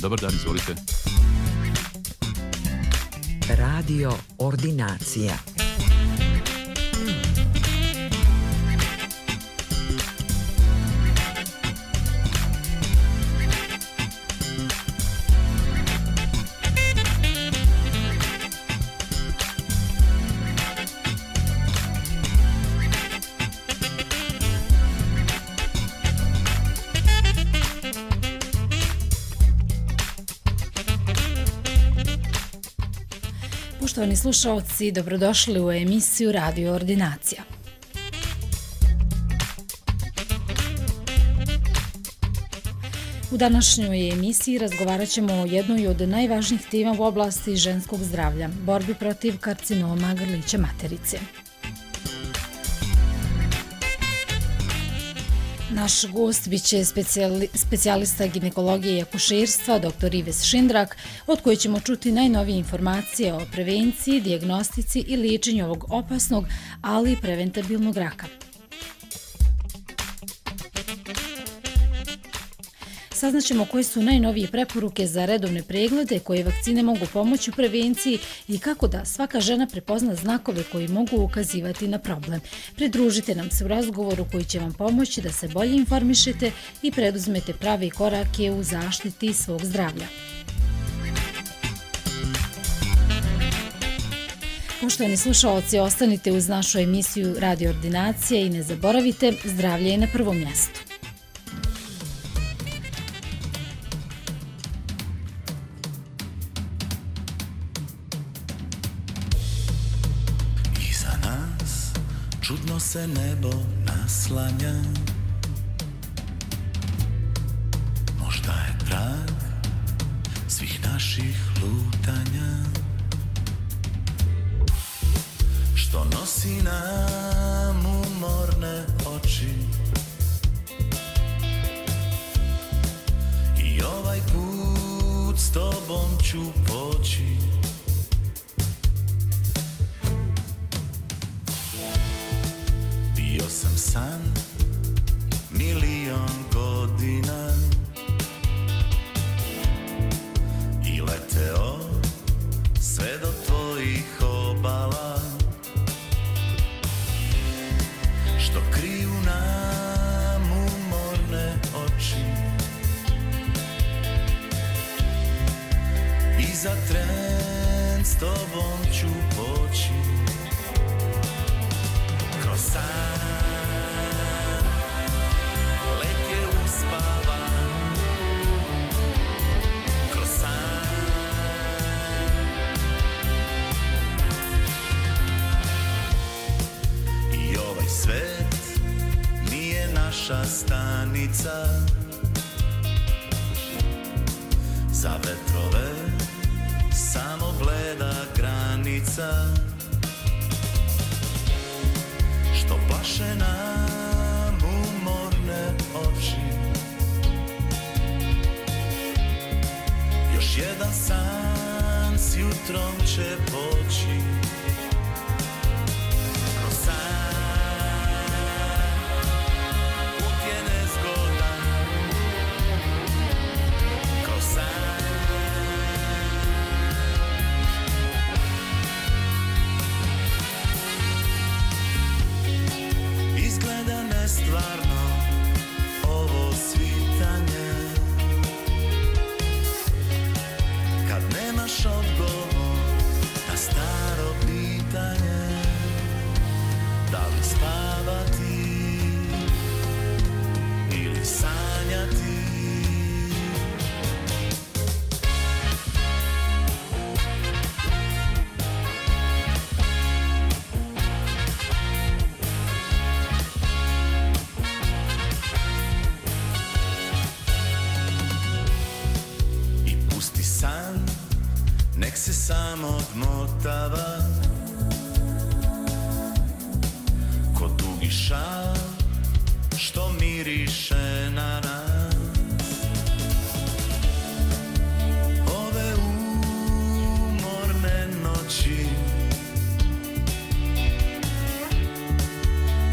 Dobar dan, izvolite. Radio Ordinacija. Poštovani slušalci, dobrodošli u emisiju Radio Ordinacija. U današnjoj emisiji razgovarat ćemo o jednoj od najvažnijih tema u oblasti ženskog zdravlja, borbi protiv karcinoma grlića materice. Naš gost biće specijalista ginekologije i akušerstva, dr. Ives Šindrak, od koje ćemo čuti najnovije informacije o prevenciji, dijagnostici i liječenju ovog opasnog, ali i preventabilnog raka. Saznaćemo koje su najnovije preporuke za redovne preglede, koje vakcine mogu pomoći u prevenciji i kako da svaka žena prepozna znakove koji mogu ukazivati na problem. Pridružite nam se u razgovoru koji će vam pomoći da se bolje informišete i preduzmete prave korake u zaštiti svog zdravlja. Poštovani slušalci, ostanite uz našu emisiju Radio Ordinacije i ne zaboravite, zdravlje je na prvom mjestu. Čudno se nebo naslanja, možda je trag svih naših lutanja, što nosi nam umorne oči. I ovaj put s tobom ću poći. Bio sam san milion godina i leteo sve do tvojih obala, što kriju nam umorne oči. I za tren s tobom ću poći. Kroz san let je uspavan, kroz san i ovaj svet nije naša stanica. Za vetrove samo bleda granica, što plaše nam umorne oči. Još jedan san s jutrom će poći. Kroz san put je nezgodan, kroz san izgleda nestvarno ovo svitanje, kad nemaš odgovor na staro pitanje, da li spavati ili sanjati. Nek se samo odmotava ko dugi šal što miriše na nas. Ove umorne noći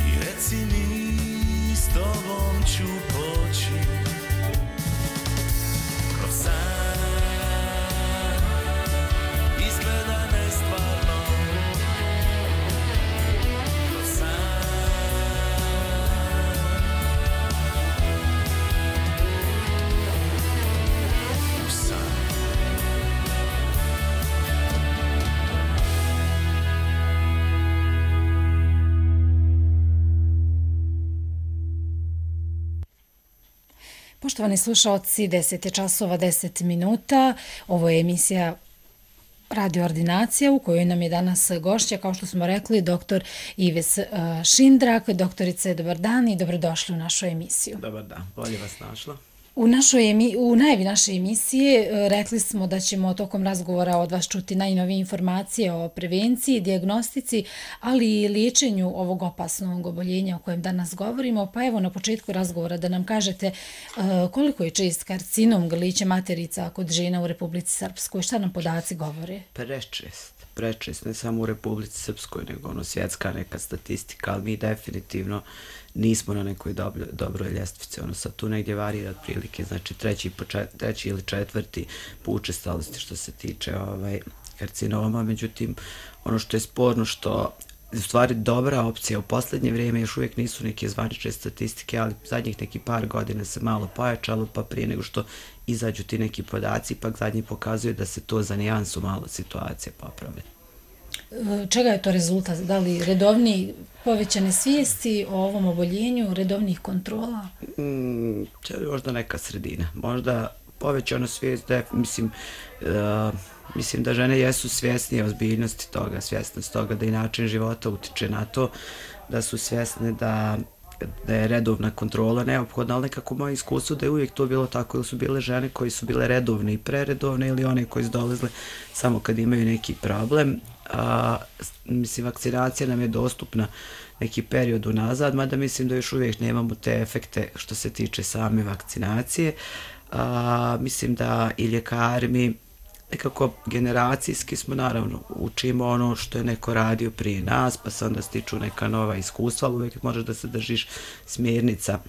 i reci mi s tobom ću poći kroz san. Poštovani slušaoci, 10 je časova 10 minuta. Ovo je emisija Radio Ordinacija u kojoj nam je danas gošća, kao što smo rekli, dr. Ives Šindrak. Doktorice, dobar dan i dobrodošli u našu emisiju. Dobar dan, bolje vas našla. U najavi naše emisije rekli smo da ćemo tokom razgovora od vas čuti najnovije informacije o prevenciji, dijagnostici, ali i liječenju ovog opasnog oboljenja o kojem danas govorimo. Pa evo na početku razgovora da nam kažete koliko je čest karcinom grlića materica kod žena u Republici Srpskoj. Šta nam podaci govore? Prečest, ne samo u Republici Srpskoj, nego svjetska neka statistika, ali mi definitivno nismo na nekoj dobroj ljestvici. Sad tu negdje varira otprilike, znači treći ili četvrti po učestalosti što se tiče karcinoma. Međutim, ono što je sporno što u stvari dobra opcija u posljednje vrijeme još uvijek nisu neke zvanične statistike, ali zadnjih neki par godina se malo pojačalo, pa prije nego što izađu ti neki podaci, ipak zadnji pokazuju da se to za nijansu malo situacije popravlja. Čega je to rezultat? Da li redovni povećane svijesti o ovom oboljenju, redovnih kontrola? Možda neka sredina. Možda povećana svijest, mislim da žene jesu svjesnije ozbiljnosti toga, svjesnost toga da i način života utiče na to, da su svjesne da je redovna kontrola neophodna, ali nekako moje iskustvo da je uvijek to bilo tako, ili su bile žene koje su bile redovne i preredovne ili one koje su dolazile samo kad imaju neki problem. Vakcinacija nam je dostupna neki period unazad, mada mislim da još uvijek nemamo te efekte što se tiče same vakcinacije. Mislim da i ljekari mi nekako generacijski smo, naravno, učimo ono što je neko radio prije nas, pa se onda stiču neka nova iskustva, ali uvijek možeš da se držiš smjernica.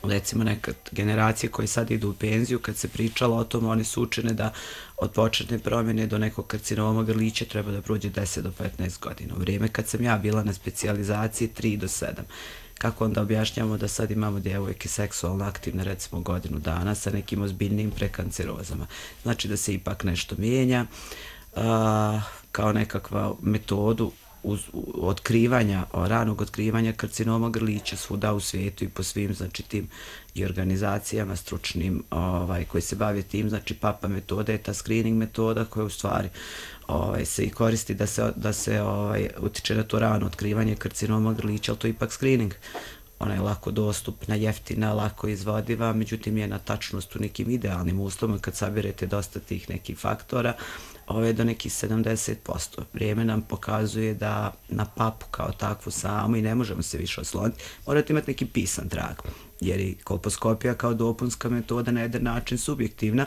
Recimo neka generacije koje sad idu u penziju, kad se pričalo o tom, oni su učene da od početne promjene do nekog karcinoma grlića treba da prođe 10 do 15 godina. U vrijeme kad sam ja bila na specijalizaciji 3 do 7. Kako onda objašnjamo da sad imamo djevojke seksualno aktivne recimo godinu dana sa nekim ozbiljnim prekancerozama. Znači da se ipak nešto mijenja kao nekakva metodu ranog otkrivanja karcinoma grlića svuda u svijetu i po svim znači tim i organizacijama stručnim koji se bave tim, znači PAPA metoda je ta screening metoda koja u stvari se i koristi da se utiče na to rano otkrivanje karcinoma grlića, ali to je ipak screening. Ona je lako dostupna, jeftina, lako izvodiva, međutim je na tačnost u nekim idealnim uslovima kad sabirete dosta tih nekih faktora, do nekih 70%. Vrijeme nam pokazuje da na papu kao takvu samu i ne možemo se više osloniti, morate imati neki pisan trag, jer i kolposkopija kao dopunska metoda na jedan način subjektivna.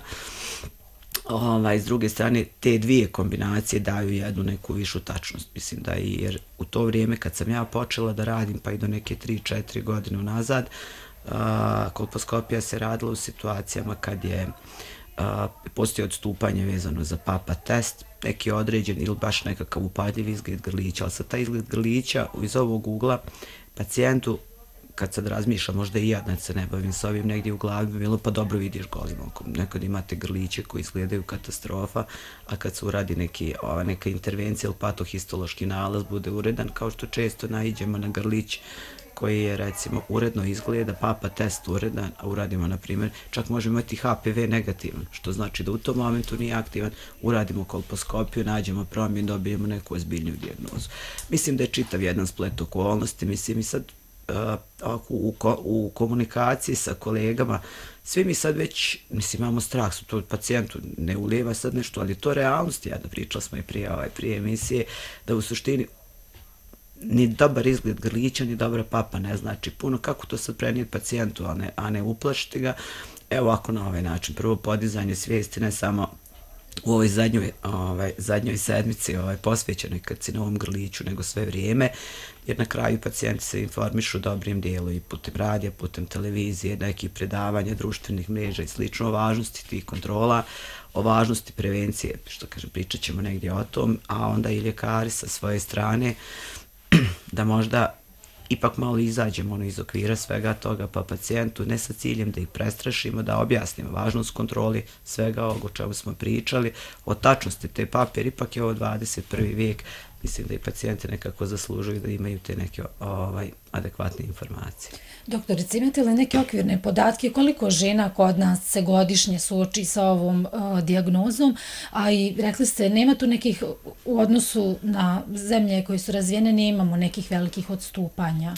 S druge strane, te dvije kombinacije daju jednu neku višu tačnost. Mislim da jer u to vrijeme kad sam ja počela da radim, pa i do neke 3-4 godine nazad, kolposkopija se radila u situacijama kad je postoji odstupanje vezano za PAPA test, neki određen ili baš nekakav upadljiv izgled grlića, ali sa taj izgled grlića iz ovog ugla pacijentu, kad sad razmišljam, možda i ja da se ne bavim s ovim, negdje u glavi bi bilo pa dobro vidiš golim okom. Nekad imate grliće koji izgledaju katastrofa, a kad se uradi neka intervencija ili patohistološki nalaz bude uredan, kao što često naiđemo na grlić koji je recimo uredno izgleda, PAPA test uredan, a uradimo na primjer, čak možemo imati HPV negativan, što znači da u tom momentu nije aktivan, uradimo kolposkopiju, nađemo promjen, dobijemo neku ozbiljniju dijagnozu. Mislim da je čitav jedan splet okolnosti, mislim i sad u komunikaciji sa kolegama, svi mi sad već, imamo strah, su to pacijentu ne ulijeva sad nešto, ali to realnost, pričali smo i prije emisije, da u suštini ni dobar izgled grlića, ni dobra papa ne znači puno, kako to sad prenijeti pacijentu, a ne uplašiti ga. Evo ovako na ovaj način, prvo podizanje svijesti, ne samo u ovoj zadnjoj sedmici posvećenoj karcinovom grliću, nego sve vrijeme, jer na kraju pacijenti se informišu dobrim dijelu i putem radija, putem televizije, nekih predavanja, društvenih mreža i slično, o važnosti tih kontrola, o važnosti prevencije, što kažem, pričat ćemo negdje o tom, a onda i ljekari sa svoje strane da možda ipak malo izađemo iz okvira svega toga, pa pacijentu ne sa ciljem da ih prestrašimo, da objasnimo važnost kontroli svega ovog o čemu smo pričali, o tačnosti te pape, jer ipak je ovo 21. vijek, mislim da i pacijenti nekako zaslužuju da imaju te neke adekvatne informacije. Doktorice, imate li neke okvirne podatke koliko žena kod nas se godišnje suoči sa ovom dijagnozom, a i rekli ste nema tu nekih u odnosu na zemlje koje su razvijene, nemamo nekih velikih odstupanja?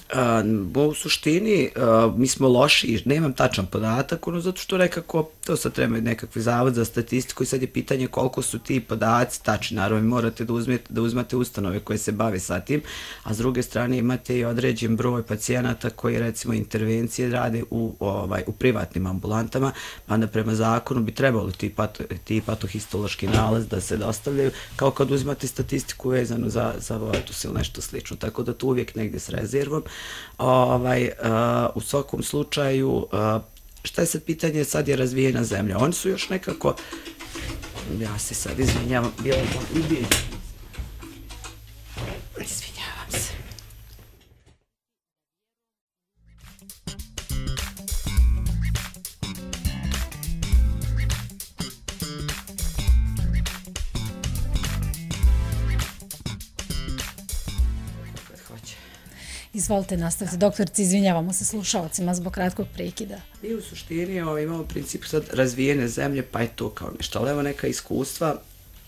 U suštini mi smo loši, nemam tačan podatak, zato što nekako, to sad treba nekakvi zavod za statistiku i sad je pitanje koliko su ti podaci tačni. Naravno, vi morate da uzmete ustanove koje se bave sa tim, a s druge strane imate i određen broj pacijenata koji recimo intervencije rade u privatnim ambulantama, pa onda prema zakonu bi trebalo ti patohistološki nalaz da se dostavljaju, kao kad uzimate statistiku vezanu za abortus ili nešto slično, tako da tu uvijek negdje s rezervom. U svakom slučaju, šta je sad pitanje, sad je razvijena zemlja, oni su još nekako, ja se sad izvinjavam, bilo sam izvinjavam se. Izvolite nastaviti, doktorice, izvinjavamo se slušalcima zbog kratkog prekida. Mi u suštini imamo princip sad razvijene zemlje, pa je to kao nešto, ali evo neka iskustva,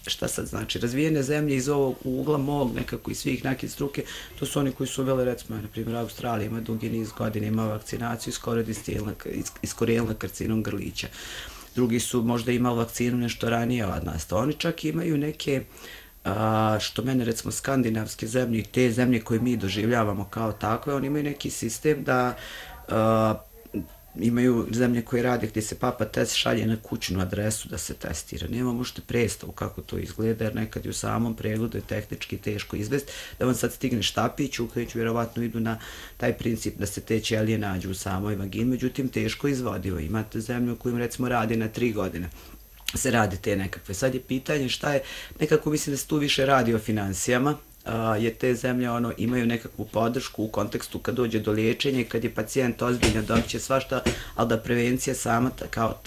šta sad znači, razvijene zemlje iz ovog ugla mog nekako i svih nekih struke, to su oni koji su uveli, recimo, na primjer, Australija ima dugi niz godina, ima vakcinaciju iskorijenila karcinom grlića. Drugi su možda imali vakcinu nešto ranije od nas, oni čak imaju neke što mene recimo skandinavske zemlje i te zemlje koje mi doživljavamo kao takve, oni imaju neki sistem da imaju zemlje koje rade gdje se papa test šalje na kućnu adresu da se testira. Nema možete predstavu kako to izgleda, jer nekad je u samom pregledu je tehnički teško izvesti, da vam sad stigne štapić, u kojem vjerovatno idu na taj princip da se te ćelije nađu u samoj vagini, međutim teško izvodivo. Imate zemlju u kojim recimo radi na 3 godine. Se radi te nekakve. Sad je pitanje šta je, nekako mislim da se tu više radi o financijama, jer te zemlje imaju nekakvu podršku u kontekstu kad dođe do liječenja i kad je pacijent ozbiljno dobit će svašta, ali da prevencija sama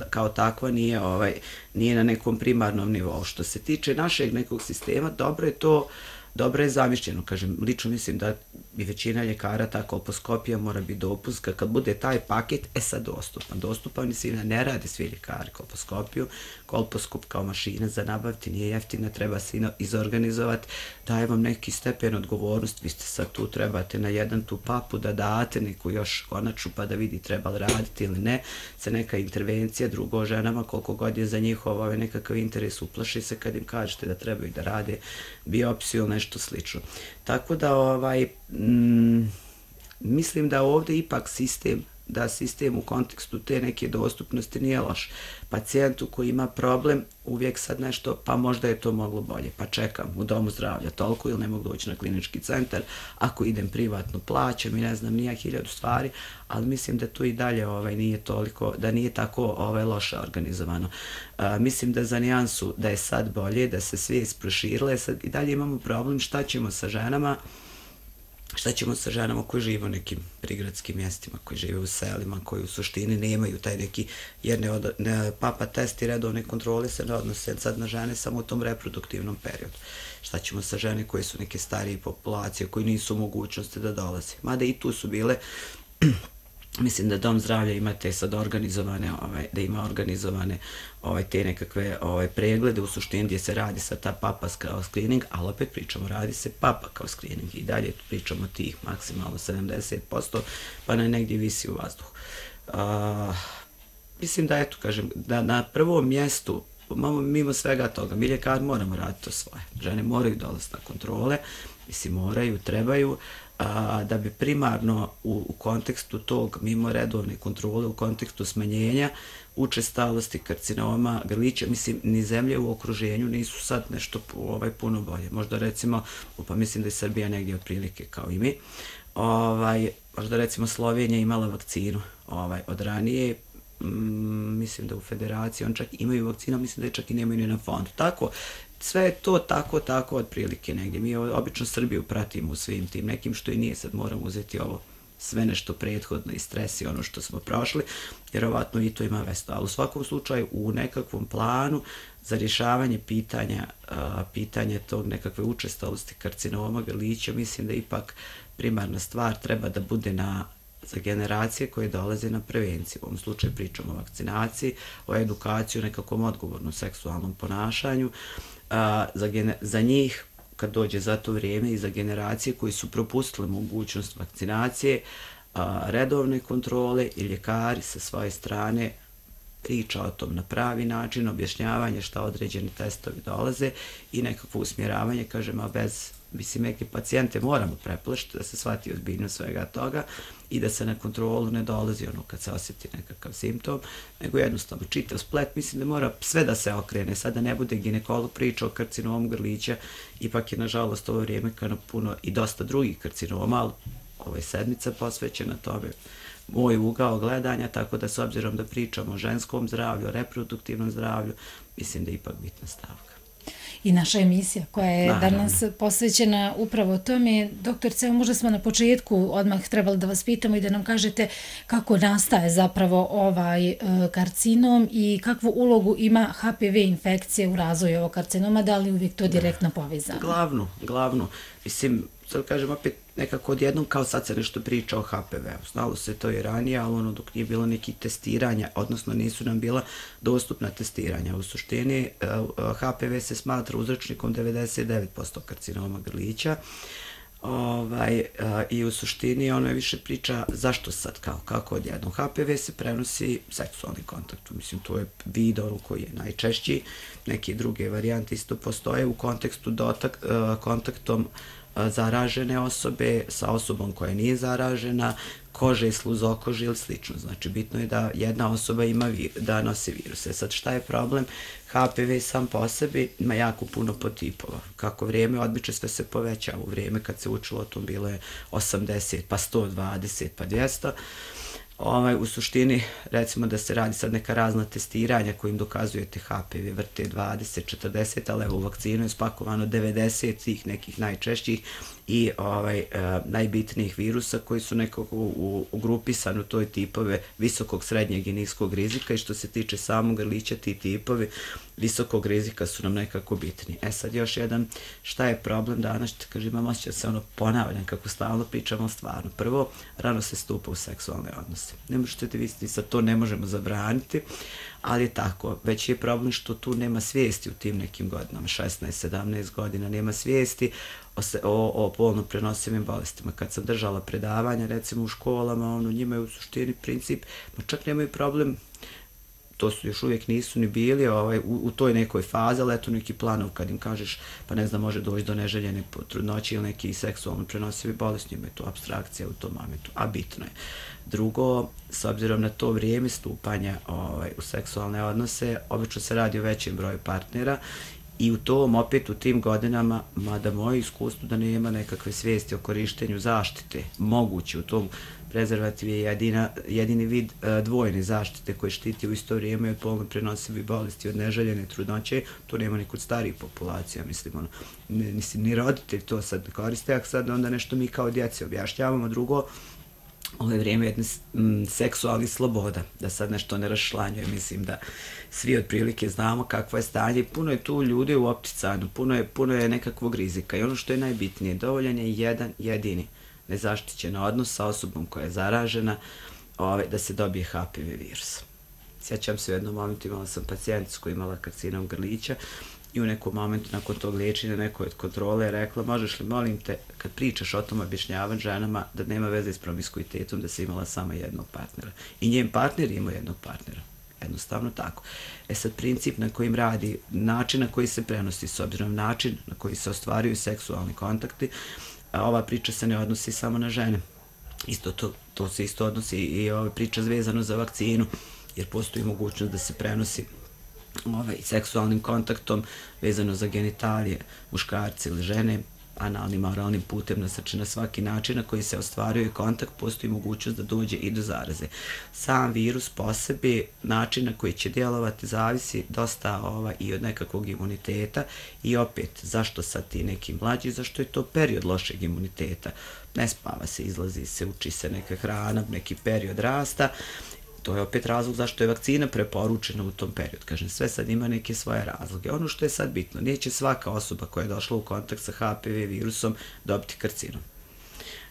kao takva nije na nekom primarnom nivou. Što se tiče našeg nekog sistema, dobro je zamišljeno, kažem, lično mislim da i većina ljekara ta kolposkopija mora biti dopunska, kad bude taj paket, sad dostupan, mislim da ne rade svi ljekari kolposkopiju, kolposkop kao mašina za nabaviti nije jeftina, treba se izorganizovati, daje vam neki stepen odgovornost, vi ste sad tu, trebate na jedan tu papu da date neku još konaču pa da vidi treba li raditi ili ne, se neka intervencija, drugo ženama koliko god je za njihov nekakav interes, uplaši se kad im kažete da trebaju da rade biopsiju ili nešto slično. Tako da mislim da ovdje ipak sistem u kontekstu te neke dostupnosti nije loš. Pacijentu koji ima problem uvijek sad nešto, pa možda je to moglo bolje, pa čekam u domu zdravlja toliko ili ne mogu doći na klinički centar, ako idem privatno plaćam i ne znam nija 1000 stvari, ali mislim da tu i dalje nije toliko, da nije tako loše organizovano. Mislim da za nijansu da je sad bolje, da se svijest proširila, sad i dalje imamo problem šta ćemo sa ženama koji žive u nekim prigradskim mjestima, koji žive u selima, koji u suštini nemaju taj neki, jer papa test i redovne kontrole se ne odnose sad na žene samo u tom reproduktivnom periodu. Šta ćemo sa žene koje su neke starije populacije, koji nisu u mogućnosti da dolaze. Mada i tu su bile, mislim da dom zdravlja ima te sad organizovane, da ima organizovane te nekakve preglede u suštini gdje se radi sa ta papa kao screening, ali opet pričamo, radi se papa kao screening i dalje pričamo tih maksimalno 70%, pa negdje visi u vazduhu. Mislim da, eto, kažem, da na prvom mjestu, mimo svega toga, mi ljekari moramo raditi to svoje. Žene moraju dolaziti na kontrole, mislim, moraju, trebaju, da bi primarno u kontekstu tog, mimo redovne kontrole, u kontekstu smanjenja učestalosti karcinoma grlića, mislim, ni zemlje u okruženju nisu sad nešto puno bolje. Možda recimo, pa mislim da je Srbija negdje otprilike kao i mi, možda recimo Slovenija imala vakcinu od ranije, mislim da u federaciji on čak imaju vakcinu, mislim da je čak i nemaju ni na fondu. Tako, sve je to tako otprilike negdje. Mi obično Srbiju pratimo u svim tim nekim, što i nije, sad moramo uzeti ovo sve nešto prethodno i stres i ono što smo prošli, vjerovatno i to ima vesto. Ali u svakom slučaju u nekakvom planu za rješavanje pitanja tog nekakve učestalosti karcinoma grlića, mislim da ipak primarna stvar treba da bude za generacije koje dolaze na prevenciju. U ovom slučaju pričamo o vakcinaciji, o edukaciji, o nekakvom odgovornom seksualnom ponašanju. Za njih, kad dođe za to vrijeme, i za generacije koji su propustile mogućnost vakcinacije, redovne kontrole i ljekari sa svoje strane priča o tom na pravi način, objašnjavanje šta određeni testovi dolaze i nekakvo usmjeravanje, kažem, a mislim, neke pacijente moramo preplašiti da se shvati ozbiljnost svega toga i da se na kontrolu ne dolazi ono kad se osjeti nekakav simptom, nego jednostavno čitav splet, mislim da mora sve da se okrene, sad da ne bude ginekolog priča o karcinomu grlića, ipak je nažalost ovo vrijeme kada puno i dosta drugih karcinoma, ali ovo je sedmica posvećena tome, moj ugao gledanja, tako da s obzirom da pričamo o ženskom zdravlju, o reproduktivnom zdravlju, mislim da je ipak bitna stavka. I naša emisija koja je danas posvećena upravo tome. Doktorice, možda smo na početku odmah trebali da vas pitamo i da nam kažete kako nastaje zapravo ovaj karcinom i kakvu ulogu ima HPV infekcija u razvoju ovog karcinoma, da li uvijek to direktno povezano? Glavno. Mislim, sad kažem opet nekako odjednom kao sad se nešto priča o HPV-u. Znalo se to i ranije, ali ono dok nije bilo nekih testiranja, odnosno nisu nam bila dostupna testiranja. U suštini HPV se smatra uzročnikom 99% karcinoma grlića. I u suštini ono je više priča zašto sad, kako odjednom. HPV se prenosi seksualnim kontaktom, mislim to je vid koji je najčešći, neke druge varijante isto postoje u kontekstu kontaktom zaražene osobe sa osobom koja nije zaražena, kože, sluzokože ili slično. Znači, bitno je da jedna osoba da nosi viruse. Sad, šta je problem? HPV sam po sebi ima jako puno podtipova. Kako vrijeme odmiče, sve se povećava. U vrijeme kad se učilo o tom bilo je 80, pa 120, pa 200. U suštini, recimo da se radi sad neka razna testiranja kojim dokazujete HPV, vrte 20, 40, ali evo u vakcinu je spakovano 90 tih nekih najčešćih i najbitnijih virusa koji su nekako ugrupisani u toj tipove visokog, srednjeg i niskog rizika i što se tiče samog grlića, ti tipovi visokog rizika su nam nekako bitni. Sad još jedan, šta je problem danas, kažem, imam osjećaj da se ponavljam kako stalno pričamo stvarno. Prvo, rano se stupa u seksualne odnose. Ne možete da vidjeti, sad to ne možemo zabraniti, ali je tako. Već je problem što tu nema svijesti u tim nekim godinama, 16-17 godina, nema svijesti o polno prenosivim bolestima. Kad sam držala predavanja, recimo u školama, njima je u suštini princip, čak nemaju problem, to su još uvijek nisu ni bili u toj nekoj fazi, ali eto neki planov kad im kažeš, pa ne znam, može doći do neželjene trudnoće ili neki seksualno prenosivi bolesti, njima je to apstrakcija u tom momentu, a bitno je. Drugo, s obzirom na to vrijeme stupanja u seksualne odnose, obično se radi o većem broju partnera i opet u tim godinama, mada moje iskustvo da nema nekakve svijesti o korištenju zaštite, moguće u tom prezervativ je jedini vid dvojne zaštite koji štiti u isto vrijeme od polno prenosivih bolesti, od neželjene trudnoće, to nema ni kod starijih populacija, mislim, ni roditelj to sad koriste, a sad onda nešto mi kao djeci objašnjavamo. Drugo, ovo je vrijeme jedne seksualnih sloboda, da sad nešto ne raščlanjuje, mislim da svi otprilike znamo kakvo je stanje, puno je tu ljudi u opticanju, puno je nekakvog rizika i ono što je najbitnije, dovoljan je jedan jedini nezaštićen odnos sa osobom koja je zaražena, da se dobije HPV virus. Sjećam se u jednom momentu, imala sam pacijenticu koja imala karcinom grlića i u nekom momentu nakon tog liječenja nekoj od kontrole je rekla, možeš li, molim te, kad pričaš o tom objašnjavati ženama da nema veze s promiskuitetom, da se imala samo jednog partnera. I njen partner ima jednog partnera. Jednostavno tako. Sad princip na kojim radi, način na koji se prenosi, s obzirom način na koji se ostvaruju seksualni kontakti, a ova priča se ne odnosi samo na žene. Isto to se isto odnosi i ova priča vezano za vakcinu, jer postoji mogućnost da se prenosi seksualnim kontaktom vezano za genitalije muškarci ili žene, analnim, oralnim putem, znači na svaki način na koji se ostvaruje kontakt, postoji mogućnost da dođe i do zaraze. Sam virus po sebi, način na koji će djelovati, zavisi dosta i od nekakvog imuniteta i opet, zašto sad ti neki mlađi, zašto je to period lošeg imuniteta. Ne spava se, izlazi se, uči se neka hrana, neki period rasta. To je opet razlog zašto je vakcina preporučena u tom periodu. Kažem, sve sad ima neke svoje razloge. Ono što je sad bitno, neće svaka osoba koja je došla u kontakt sa HPV virusom dobiti karcinom.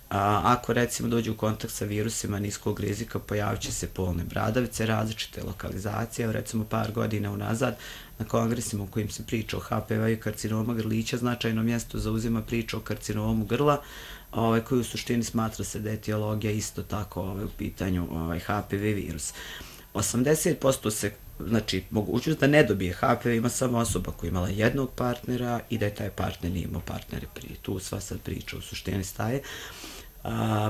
Ako recimo dođe u kontakt sa virusima niskog rizika, pojavit će se polne bradavice, različite lokalizacije. Recimo par godina unazad na kongresima u kojim se priča o HPV i karcinoma grlića, značajno mjesto zauzima priča o karcinomu grla, koji u suštini smatra se da je etiologija isto tako u pitanju HPV virus. 80% se, znači, mogućnost da ne dobije HPV ima samo osoba koja je imala jednog partnera i da je taj partner nije imao partnere prije. Tu sva sad priča u suštini staje.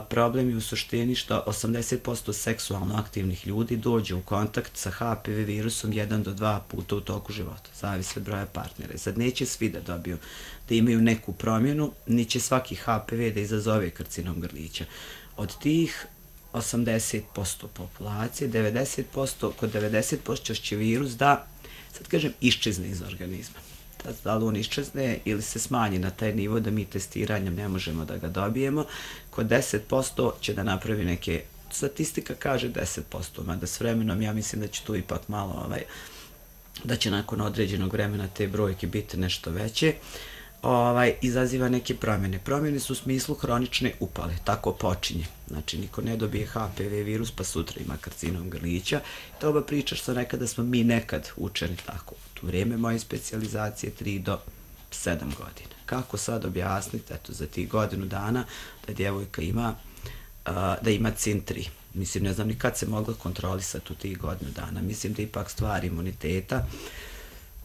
Problem je u suštini što 80% seksualno aktivnih ljudi dođe u kontakt sa HPV virusom 1 do 2 puta u toku života, zavisi od broja partnera. Sad neće svi da dobiju, da imaju neku promjenu, ni će svaki HPV da izazove karcinom grlića. Od tih 80% populacije, 90%, kod 90% će virus da, sad kažem, iščezne iz organizma. Da li on iščezne ili se smanji na taj nivo da mi testiranjem ne možemo da ga dobijemo, kod 10% će da napravi neke, statistika kaže 10%, mada s vremenom ja mislim da će tu ipak malo, da će nakon određenog vremena te brojke biti nešto veće, izaziva neke promjene. Promjene su u smislu hronične upale, tako počinje. Znači, niko ne dobije HPV virus pa sutra ima karcinom grlića. To ova priča što nekada smo mi nekad učeni tako. U vrijeme moje specijalizacije 3 do 7 godina. Kako sad objasniti, eto, za tih godinu dana da djevojka ima, da ima CIN3. Mislim, ne znam ni kad se mogla kontrolisati u tih godinu dana. Mislim da ipak stvar imuniteta.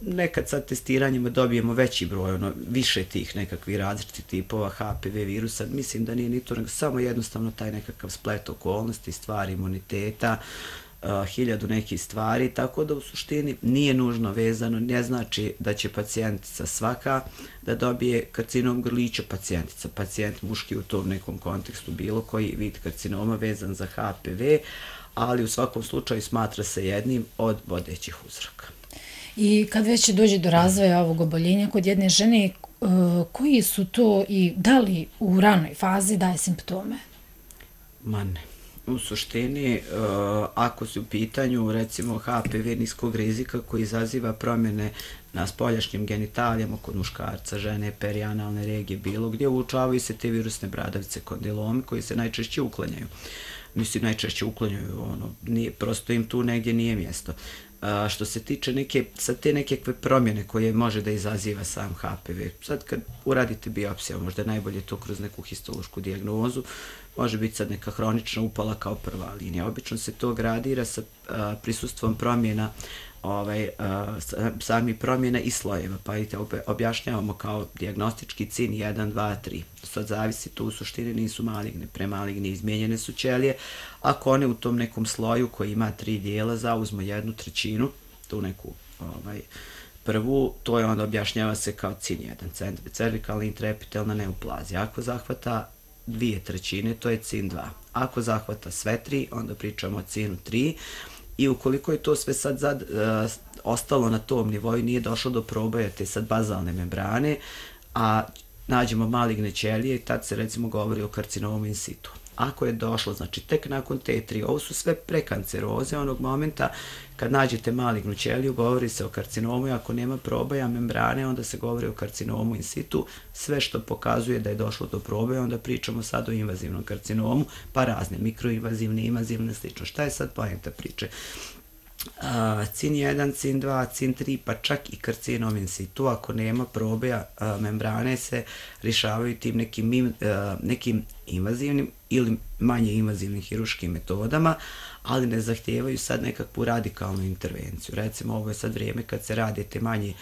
Nekad sad testiranjima dobijemo veći broj, više tih nekakvih različitih tipova HPV virusa. Mislim da nije ni to, nego samo jednostavno taj nekakav splet okolnosti, stvar imuniteta, 1000 nekih stvari, tako da u suštini nije nužno vezano, ne znači da će pacijentica svaka da dobije karcinom grlića, pacijent muški u tom nekom kontekstu, bilo koji vid karcinoma vezan za HPV, ali u svakom slučaju smatra se jednim od vodećih uzroka. I kad već dođe do razvoja ovog oboljenja kod jedne žene, koji su to i da li u ranoj fazi daje simptome? Ma ne. U suštini, ako su u pitanju recimo HPV niskog rizika koji izaziva promjene na spoljašnjim genitalijama kod muškarca, žene, perianalne regije, bilo gdje, uočavaju se te virusne bradavice, kondilomi koji se najčešće uklanjaju. Mislim, najčešće uklanjaju, prosto im tu negdje nije mjesto. Što se tiče sad te nekakve promjene koje može da izaziva sam HPV, sad kad uradite biopsiju, možda je najbolje to kroz neku histološku dijagnozu, može biti sad neka hronična upala kao prva linija. Obično se to gradira sa prisustvom promjena, sami promjena i slojeva, pa i te objašnjavamo kao dijagnostički CIN 1, 2, 3. Sad zavisi, to u suštini nisu maligne, premaligni, izmijenjene su ćelije. Ako one u tom nekom sloju koji ima 3 dijela zauzmu 1/3, tu neku prvu, to je onda objašnjava se kao CIN 1, cervikalna intraepitelna neoplazija. Ako zahvata 2/3, to je CIN 2. Ako zahvata sve 3, onda pričamo o CIN 3. I ukoliko je to sve sad ostalo na tom nivou, nije došlo do proboja te sad bazalne membrane, a nađemo maligne ćelije, tad se recimo govori o karcinomu in situ. Ako je došlo, znači tek nakon T3, ovo su sve prekanceroze onog momenta kad nađete malignu ćeliju, govori se o karcinomu, i ako nema proboja membrane, onda se govori o karcinomu in situ. Sve što pokazuje da je došlo do proboja, onda pričamo sad o invazivnom karcinomu, pa razne, mikroinvazivne, invazivne, slično. Šta je sad poenta priče? CIN 1, CIN 2, CIN 3, pa čak i karcinom in situ, ako nema proboja membrane, se rješavaju tim nekim invazivnim ili manje invazivnim hirurškim metodama, ali ne zahtijevaju sad nekakvu radikalnu intervenciju. Recimo, ovo je sad vrijeme kad se rade te manje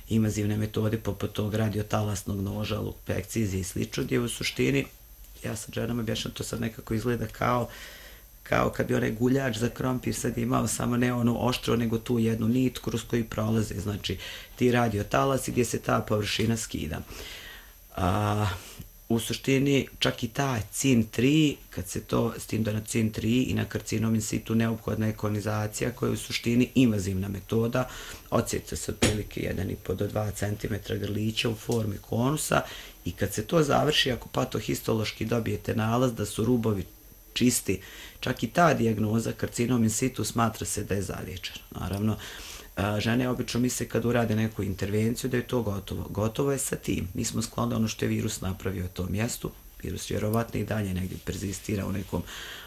invazivne metode poput tog radiotalasnog noža, lupekcizije i slično, gdje u suštini, ja sad ženama objašnjam, to sad nekako izgleda kao kad bi onaj guljač za krompir sad imao samo ne ono oštro, nego tu jednu nit kroz koju prolaze, znači ti radiotalasi gdje se ta površina skida. U suštini čak i ta CIN3, kad se to, s tim da na CIN3 i na karcinom in situ neophodna je konizacija koja je u suštini invazivna metoda, odsjeca se otprilike 1,5 do 2 cm grlića u formi konusa i kad se to završi, ako patohistološki dobijete nalaz da su rubovi čisti, čak i ta dijagnoza karcinom in situ smatra se da je zaliječena. Naravno, žene obično misle kad urade neku intervenciju da je to gotovo. Gotovo je sa tim. Mi smo skloni ono što je virus napravio u tom mjestu. Virus vjerovatno i dalje negdje perzistira u nekom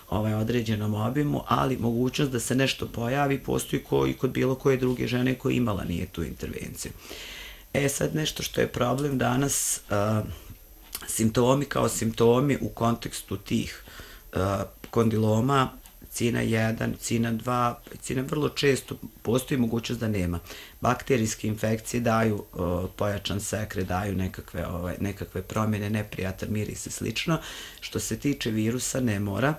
određenom obimu, ali mogućnost da se nešto pojavi postoji i kod bilo koje druge žene koja imala nije tu intervenciju. Sad nešto što je problem danas, simptomi kao simptomi u kontekstu tih kondiloma, CINA 1, CINA 2, CINA vrlo često postoji mogućnost da nema. Bakterijske infekcije daju pojačan sekret, daju nekakve promjene, neprijatan miris i slično. Što se tiče virusa ne mora.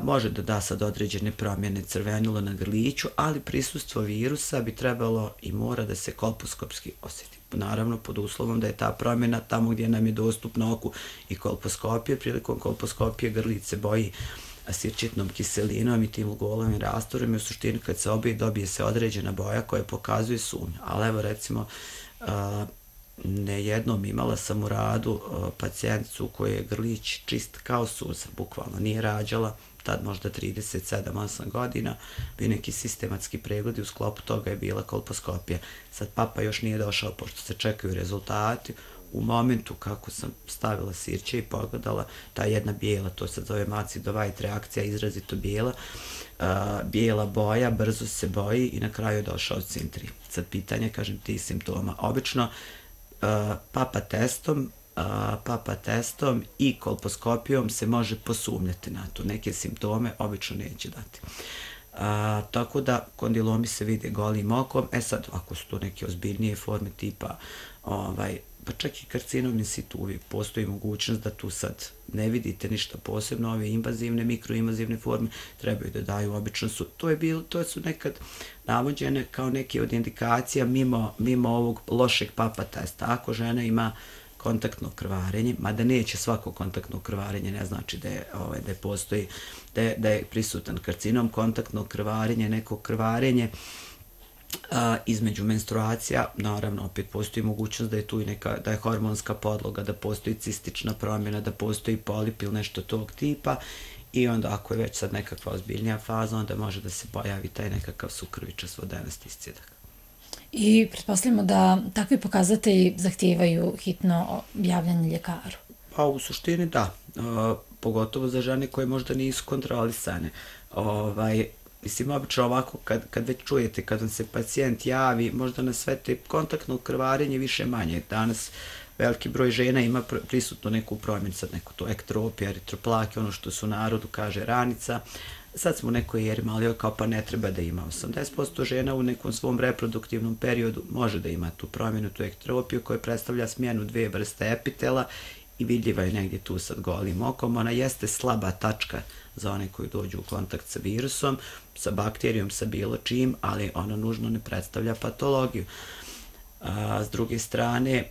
Može da da sad određene promjene crvenilo na grliću, ali prisustvo virusa bi trebalo i mora da se kolposkopski osjeti. Naravno, pod uslovom da je ta promjena tamo gdje nam je dostupna oku i kolposkopije. Prilikom kolposkopije grlić se boji sirčitnom kiselinom i tim lugolovim rastorom i u suštini kad se dobije se određena boja koja pokazuje sumnju. Ali evo recimo, nejednom imala sam u radu pacijenticu koja je grlić čist kao suza, bukvalno nije rađala, tad možda 37-8 godina, bio neki sistematski pregled i u sklopu toga je bila kolposkopija. Sad papa još nije došao, pošto se čekaju rezultati. U momentu kako sam stavila sirće i pogledala, ta jedna bijela, to se zove Macidovite reakcija, izrazito bijela boja, brzo se boji i na kraju je došao CIN3. Sad pitanje, kažem, ti simptoma. Obično papa testom i kolposkopijom se može posumnjati na to. Neke simptome obično neće dati. Tako da kondilomi se vide golim okom. Sad, ako su to neke ozbiljnije forme tipa pa čak i karcinom in situ uvijek postoji mogućnost da tu sad ne vidite ništa posebno, ove invazivne, mikroinvazivne forme trebaju da daju, obično su, to su nekad navođene kao neke od indikacija mimo ovog lošeg papa testa. Ako žena ima kontaktno krvarenje, mada neće svako kontaktno krvarenje, ne znači da postoji, da je prisutan karcinom, kontaktno krvarenje, neko krvarenje između menstruacija, naravno opet postoji mogućnost da je tu i da je hormonska podloga, da postoji cistična promjena, da postoji polip ili nešto tog tipa i onda ako je već sad nekakva ozbiljnija faza, onda može da se pojavi taj nekakav sukrvičast vodenasti iscijedak. I pretpostavljamo da takvi pokazatelji zahtijevaju hitno javljanje ljekaru. Pa u suštini da, pogotovo za žene koje možda nisu kontrolisane. Mislim, obično ovako, kad već čujete, kad vam se pacijent javi, možda na sve te kontaktno krvarenje više manje. Danas veliki broj žena ima prisutno neku promjenu, sad neku to ektropija, eritroplake, ono što su u narodu kaže ranica. Sad smo u nekoj eri malo kao pa ne treba da ima. 80% žena u nekom svom reproduktivnom periodu može da ima tu promjenu, tu ektropiju koja predstavlja smjenu dvije vrste epitela i vidljiva je negdje tu sad golim okom. Ona jeste slaba tačka za one koji dođu u kontakt sa virusom, sa bakterijom, sa bilo čim, ali ona nužno ne predstavlja patologiju. S druge strane,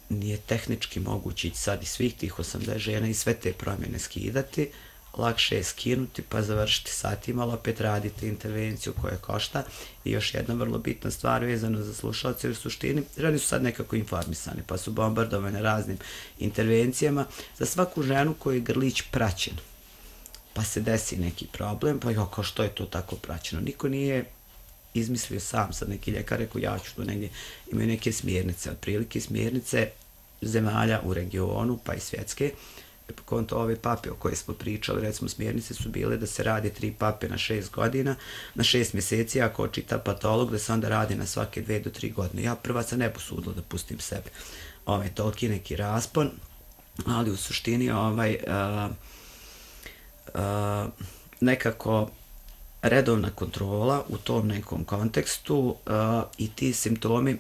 nije tehnički moguće sad i svih tih 80 žena i sve te promjene skidati, lakše je skinuti pa završiti satima, ali opet radite intervenciju koja košta. I još jedna vrlo bitna stvar vezana za slušalce, u suštini žene su sad nekako informisane pa su bombardovane raznim intervencijama. Za svaku ženu koju je grlić praćen pa se desi neki problem, pa kao što je to tako praćeno. Niko nije izmislio sam, sad neki ljekar rekao ja ću tu negdje, imaju neke smjernice, otprilike smjernice zemalja u regionu pa i svjetske. Konto ove pape o koje smo pričali, recimo smjernice su bile da se radi 3 pape na 6 godina, na 6 mjeseci, ako očita patolog da se onda radi na svake 2 do 3 godine. Ja prva se ne posudila da pustim sebe toliki neki raspon, ali u suštini nekako redovna kontrola u tom nekom kontekstu i ti simptomi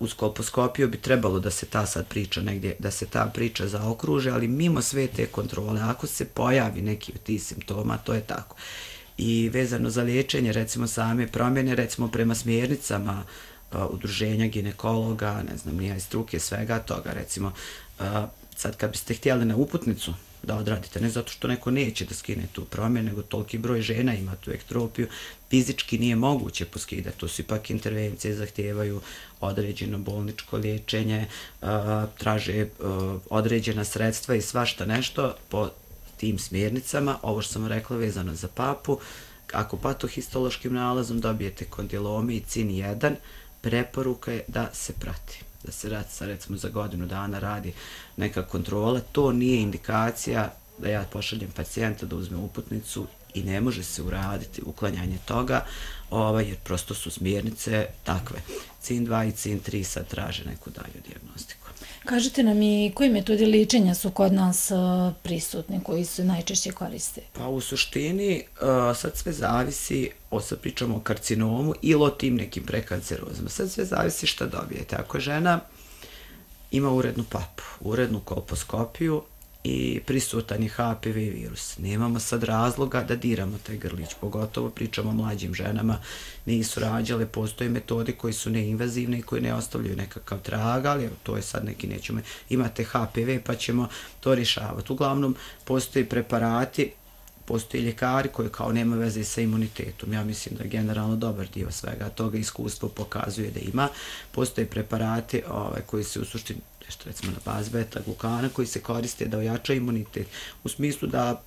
uz kolposkopiju bi trebalo da se ta sad priča negdje, da se ta priča zaokruže, ali mimo sve te kontrole, ako se pojavi neki od tih simptoma, to je tako. I vezano za liječenje, recimo same promjene, recimo prema smjernicama udruženja ginekologa, ne znam, nije struke, svega toga. Recimo, sad kad biste htjeli na uputnicu da odradite, ne zato što neko neće da skine tu promjenu, nego toliki broj žena ima tu ektropiju, fizički nije moguće poskidati. To su ipak intervencije, zahtijevaju određeno bolničko liječenje, traže određena sredstva i svašta nešto po tim smjernicama. Ovo što sam rekla vezano za papu, ako patohistološkim nalazom dobijete kondilomi i CIN1, preporuka je da se prati. Da se recimo za godinu dana radi neka kontrola. To nije indikacija da ja pošaljem pacijenta da uzme uputnicu i ne može se uraditi uklanjanje toga, jer prosto su smjernice takve. CIN2 i CIN3 sad traže neku dalju dijagnostiku. Kažite nam i koji metodi liječenja su kod nas prisutni, koji se najčešće koriste? Pa u suštini sad sve zavisi, sad pričamo o karcinomu ili o tim nekim prekancerozama, sad sve zavisi šta dobijete. Ako žena ima urednu papu, urednu kolposkopiju i prisutan je HPV virus, nemamo sad razloga da diramo taj grlić, pogotovo pričamo o mlađim ženama, nisu rađale, postoje metode koji su neinvazivne i koji ne ostavljaju nekakav trag, ali to je sad neki nećemo, imate HPV pa ćemo to rješavati. Uglavnom, postoje preparati, postoje ljekari koji kao nema veze sa imunitetom. Ja mislim da je generalno dobar dio svega toga, iskustvo pokazuje da ima. Postoje preparati koji se u suštini, nešto recimo na bazi beta-glukana, koji se koriste da ojača imunitet, u smislu da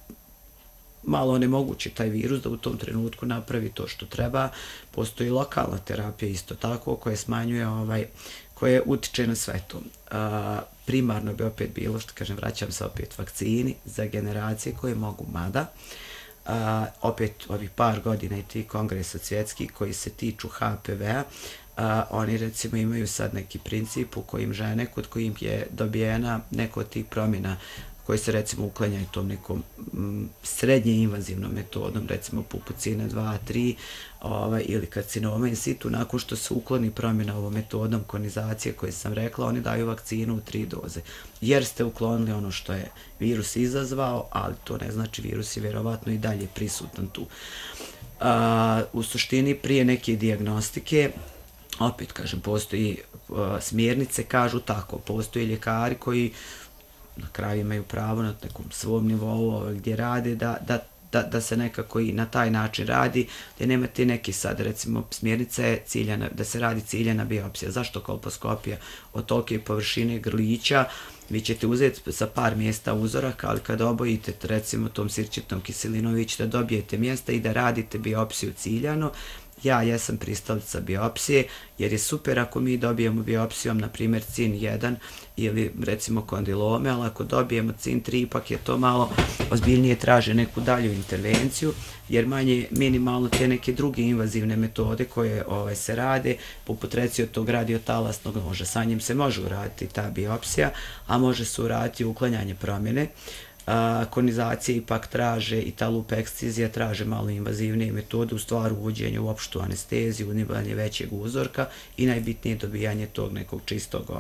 malo onemogući taj virus da u tom trenutku napravi to što treba. Postoji lokalna terapija isto tako koja smanjuje, koje utiče na sve to. Primarno bi opet bilo, što kažem, vraćam se opet vakcini za generacije koje mogu, mada opet ovih par godina i ti kongresa svjetskih koji se tiču HPV-a, oni recimo imaju sad neki princip u kojim žene kod kojim je dobijena neko od tih promjena koji se recimo uklanjaju tom nekom srednje invazivnom metodom, recimo pupocina 2, 3 ili karcinoma in situ, nakon što se ukloni promjena ovom metodom konizacije koje sam rekla, oni daju vakcinu u 3 doze. Jer ste uklonili ono što je virus izazvao, ali to ne znači virus je vjerovatno i dalje prisutan tu. U suštini prije neke dijagnostike, opet kažem, postoji smjernice, kažu tako, postoji ljekari koji na kraju imaju pravo na nekom svom nivou gdje rade da se nekako i na taj način radi, gdje nemate neki sad recimo smjernica je ciljana, da se radi ciljana biopsija. Zašto kolposkopija? Od tolike površine grlića vi ćete uzeti sa par mjesta uzorak, ali kada obojite recimo tom sirćetnom kiselinom vi ćete dobijete mjesta i da radite biopsiju ciljano. Ja jesam pristalica biopsije, jer je super ako mi dobijemo biopsijom, na primjer, CIN1 ili recimo kondilome, ali ako dobijemo CIN3, ipak je to malo ozbiljnije, traže neku dalju intervenciju, jer manje minimalno te neke druge invazivne metode koje se rade, poput recimo tog radiotalasnog noža, sa njim se može uraditi ta biopsija, a može se uraditi uklanjanje promjene. Konizacije ipak traže i ta lup ekscizija traže malo invazivnije metode, u stvari uvođenje u opštu anesteziju, unibanje većeg uzorka i najbitnije dobijanje tog nekog čistog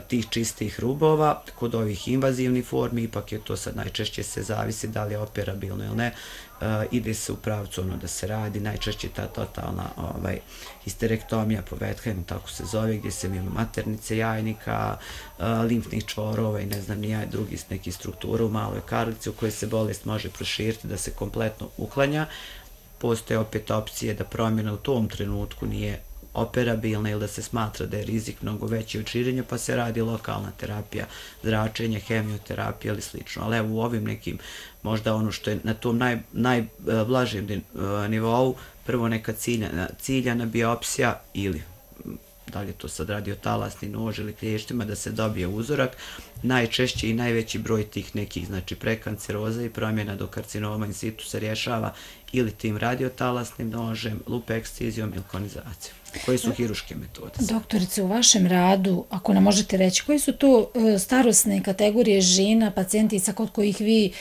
tih čistih rubova. Kod ovih invazivnih formi ipak je to sad najčešće se zavisi da li je operabilno ili ne, ide se u pravcu ono da se radi, najčešće ta totalna histerektomija po Wetheimu, tako se zove, gdje se mimo maternice, jajnika, limfnih čvorova i ne znam nija drugih nekih struktura u maloj karlici u kojoj se bolest može proširiti, da se kompletno uklanja. Postoje opet opcije da promjena u tom trenutku nije operabilna ili da se smatra da je rizik mnogo veći od širenja, pa se radi lokalna terapija, zračenje, hemioterapija ili slično. Ali evo u ovim nekim, možda ono što je na tom najblažem nivou, prvo neka ciljana biopsija ili da li je to sad radiotalasni nož ili klještima, da se dobije uzorak. Najčešće i najveći broj tih nekih, znači prekanceroza i promjena do karcinoma in situ se rješava ili tim radiotalasnim nožem, lup ekscizijom ili konizacijom. Koje su hiruške metode? Doktorice, u vašem radu, ako nam možete reći, koje su to starosne kategorije žena, pacijentica kod kojih vi